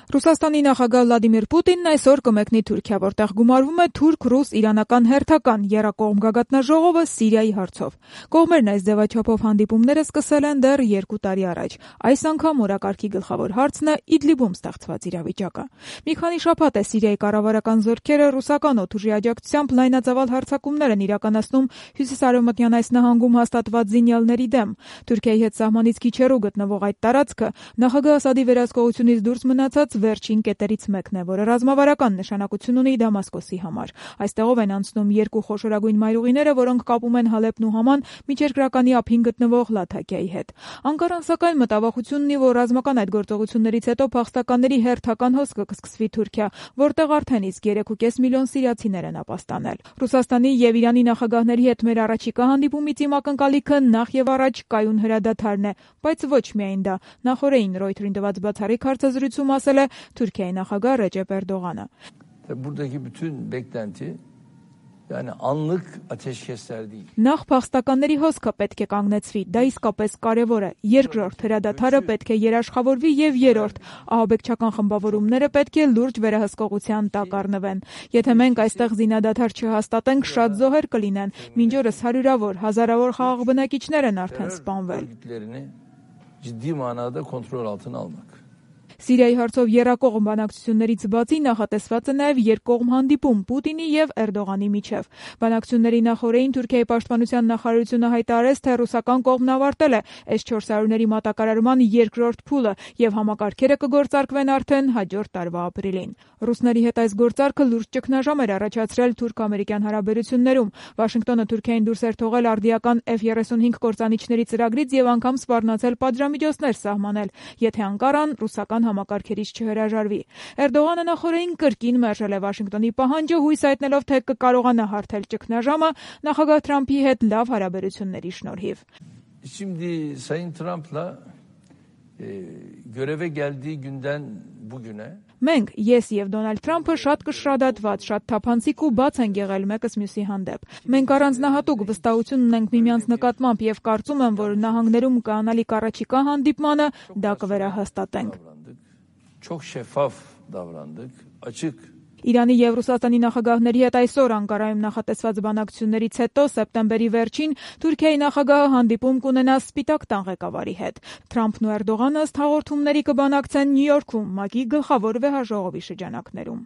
Ռուսաստանի նախագահ Վլադիմիր Պուտինն այսօր կմեկնի Թուրքիա, որտեղ գումարվում է թուրք-ռուս-իրանական հերթական եռակողմ գագաթնաժողովը Սիրիայի հարցով։ Կողմերն այս ձևաչափով հանդիպումները սկսել են դեռ 2 տարի առաջ։ Այս անգամ օրակարգի գլխավոր հարցն է Իդլիբում ստեղծված իրավիճակը։ Մի քանի շաբաթ է Սիրիայի կառավարական զորքերը ռուսական օդուժի աջակցությամբ լայնածավալ հարձակումներ են իրականացնում հյուսիսարևմտյան այս նահանգում հաստատված զինյալների դեմ։ Թուրքիայի հետ սահմանից քիչ հեռու գտնվող այդ տարածքը նախագահ Ասադի վերահսկողությունից դուրս մնացած վերջին կետերից մեկն է, որը ռազմավարական նշանակություն ունի Դամասկոսի համար։ Այստեղով են անցնում 2 խոշորագույն մայրուղիները, որոնք կապում են Հալեփն ու Համան միջերկրականի ափին գտնվող Լաթաքիայի հետ։ Անկարան սակայն մտավախություն ունի, որ ռազմական այդ գործողություններից հետո փախստականների հերթական հոսքը կսկսվի Թուրքիա, որտեղ արդեն իսկ 3.5 միլիոն սիրիացիներ են ապաստանել։ Ռուսաստանի եւ Իրանի նախագահների հետ մեր առաջիկա հանդիպումից իմ ակնկալիքը նախ եւ առաջ կայուն հրադադարն է, բայց ոչ միայն դա։ Նախորդին Reuters-ին տված բացառիկ հարցազրույցում ասել է Թուրքիայի նախագահ Ռեջեփ Էրդողանը։ Buradaki bütün beklenti yani anlık ateşkesler değil. Նախ փախստականների հոսքը պետք է կանգնեցվի, դա իսկապես կարևոր է։ Երկրորդ հրադադարը պետք է երաշխավորվի եւ երրորդ ահաբեկչական խմբավորումները պետք է լուրջ վերահսկողության տակ առնվեն։ Եթե մենք այստեղ զինադադար չհաստատենք, շատ զոհեր կլինեն։ Մինչ օրս հարյուրավոր, հազարավոր խաղաղ բնակիչներ են արդեն սպանվել։ Ciddi manada kontrol altına almak. Սիրիայի հարցով եռակողմ բանակցություններից բացի նախատեսված է նաև երկկողմ հանդիպում Պուտինի եւ Էրդողանի միջև։ Բանակցությունների նախորդին Թուրքիայի պաշտպանության նախարարությունը հայտարարեց, թե ռուսական կողմն ավարտել է S-400-ների մատակարարման երկրորդ փուլը եւ համակարգերը կգործարկվեն արդեն հաջորդ տարվա ապրիլին։ Ռուսների հետ այս գործարքը լուրջ ճգնաժամ էր առաջացրել թուրք-ամերիկյան հարաբերություններում։ Վաշինգտոնը Թուրքիային դուրս էր թողել արդիական F-35 կործանիչների ծրագրից եւ անգամ սպառնացել պատժամիջոցներ սահմանել, եթե Անկարան ռուսական համակարգերից չհրաժարվի։ Էրդողանը նախորդին կրկին մերժել է Վաշինգտոնի պահանջը, հույս հայտնելով, թե կկարողանա հարթել ճգնաժամը նախագահ Թրամփի հետ լավ հարաբերությունների շնորհիվ։ Şimdi Sayın Trump'la göreve geldiği günden bugüne Մենք, ես եւ Դոնալդ Թրամփը շատ կշռադատված, շատ թափանցիկ ու բաց են եղել մեկս մյուսի հանդեպ։ Մենք առանձնահատուկ վստահություն ունենք միմյանց նկատմամբ եւ կարծում եմ, որ նահանգներում կանալիք առաջիկա հանդիպմանը դա կվերահաստատենք։ Çok şeffaf davrandık, açık. Իրանի եւ Ռուսաստանի նախագահների հետ այսօր Անկարայում նախատեսված բանակցություններից հետո սեպտեմբերի վերջին Թուրքիայի նախագահը հանդիպում կունենա Սպիտակ տան ղեկավարի հետ։ Թրամփն ու Էրդողանը ըստ հաղորդումների կբանակցեն Նյու Յորքում ՄԱԿ-ի գլխավոր վեհաժողովի շրջանակներում։